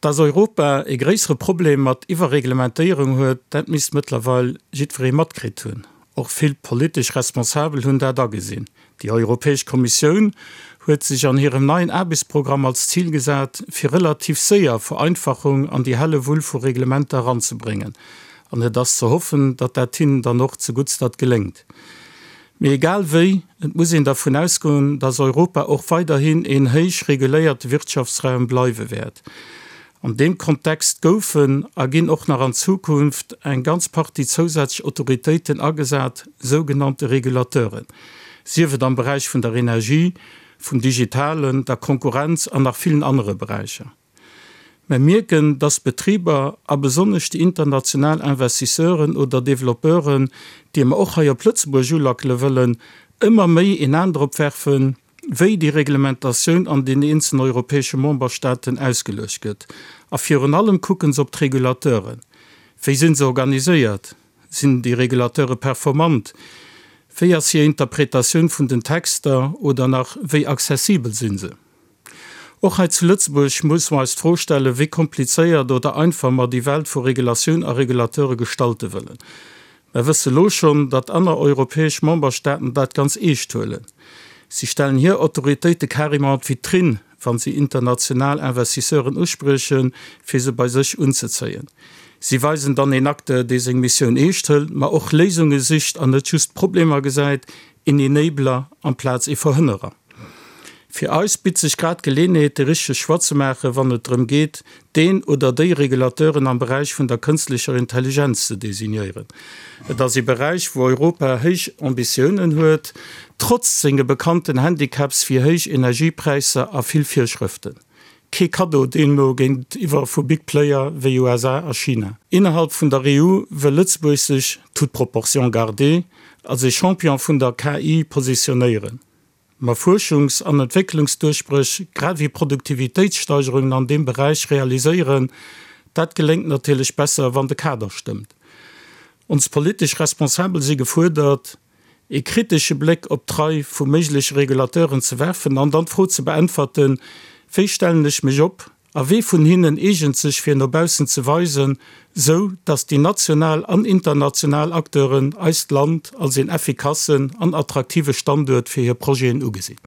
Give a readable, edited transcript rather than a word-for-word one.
Dass Europa e gréissere Problem mat Iwwerreglementéierung huet, dat misst mëttlerweil jiddweree matkritt hunn. Och vill politesch Responsabel hunn dat agesinn. Déi Europäesch Kommissioun huet sech an hirem neien Aarbechtsprogramm als Zil gesat, fir relativ séier Vereinfachung an déi helle Wull vu Reglementer eranzebréngen. An et ass ze hoffen, datt dat hinnen dann och zeguttstert geléngt. Mee egal wéi, et muss een dervun ausgoen, datt Europa och weiderhin een héich reguléierte Wirtschaftsraum bleiwe wäert. An deem Kontext goufen a ginn och nach an Zukunft eng ganz Partie zousätzlech Autoritéiten agesat, sougenannte Regulateuren, sief et am Beräich vun der Energie, vum Digitalen, der Konkurrenz an nach villen anere Beräicher. Mer mierken, dass d'Betriber a besonnesch déi international Investisseuren oder Développeuren, déi mer och hei op Lëtzebuerg ulackele wëllen, ëmmer méi een An drop werfen, wéi déi Reglementatioun an den eenzelen europäesche Memberstaaten ausgeluecht gëtt. A virun allem kucke se op d'Regulateuren. Wéi si se organiséiert? Sinn déi Regulateure performant? Wéi ass hir Interpretatioun vun den Texter oder nach wéi accessibel si se? Och hei zu Lëtzebuerg muss mer eis d'Fro stellen, wéi komplizéiert oder einfach mer déi Welt vu Regulatioun a Regulateure gestalte wëllen. Mer wësse lo schonn, datt aner europäesch Memberstaaten dat ganz eescht huelen. Si stellen hir Autoritéite carrément an d'Vitrinn, wa si international Investisseuren uspriechen, fir se bei sech unzezéien. Si weisen dann een Acteur, dee seng Missioun eescht hëlt, ma och Léisunge sicht an net just Problemer gesäit, een Enabler amplaz ee Verhënnerer. Fir eis bitt sech grad d'Geleenheet, de richtege Choix ze maachen, wann et drëm geet, deen oder déi Regulateuren am Beräich vun der kënstlecher Intelligenz ze designéieren. Et ass ee Beräich, wou Europa héich Ambitiounen huet, trotz senge bekannten Handicaps wéi héich Energiepräisser a vill Virschrëften. Kee Kaddo deemno géintiwwer vu Big Player wéi USA a China. Innerhalb vun der EU wëll Lëtzebuerg sech, toute proportion gardée, als ee Champion vun der KI positionéieren. Ma Fuerschungs an Entwécklungsduerchbréch grad ewéi Produktivitéitssteigerungen an deem Beräich realiséieren, dat geléngt natierlech besser, wann de Kader stëmmt. Ons politesch Responsabel si gefuerdert, ee kritesche Bléck op d'Rei vu méigleche Regulateuren ze werfen an dann d'Fro ze beäntwerten, Wéi stellen ech mech op a wee vun hinnen eegent sech fir no baussen ze weisen, sou datt déi national an international Acteuren eist Land als een effikassen an attraktive Standuert fir hir Projeten ugesinn?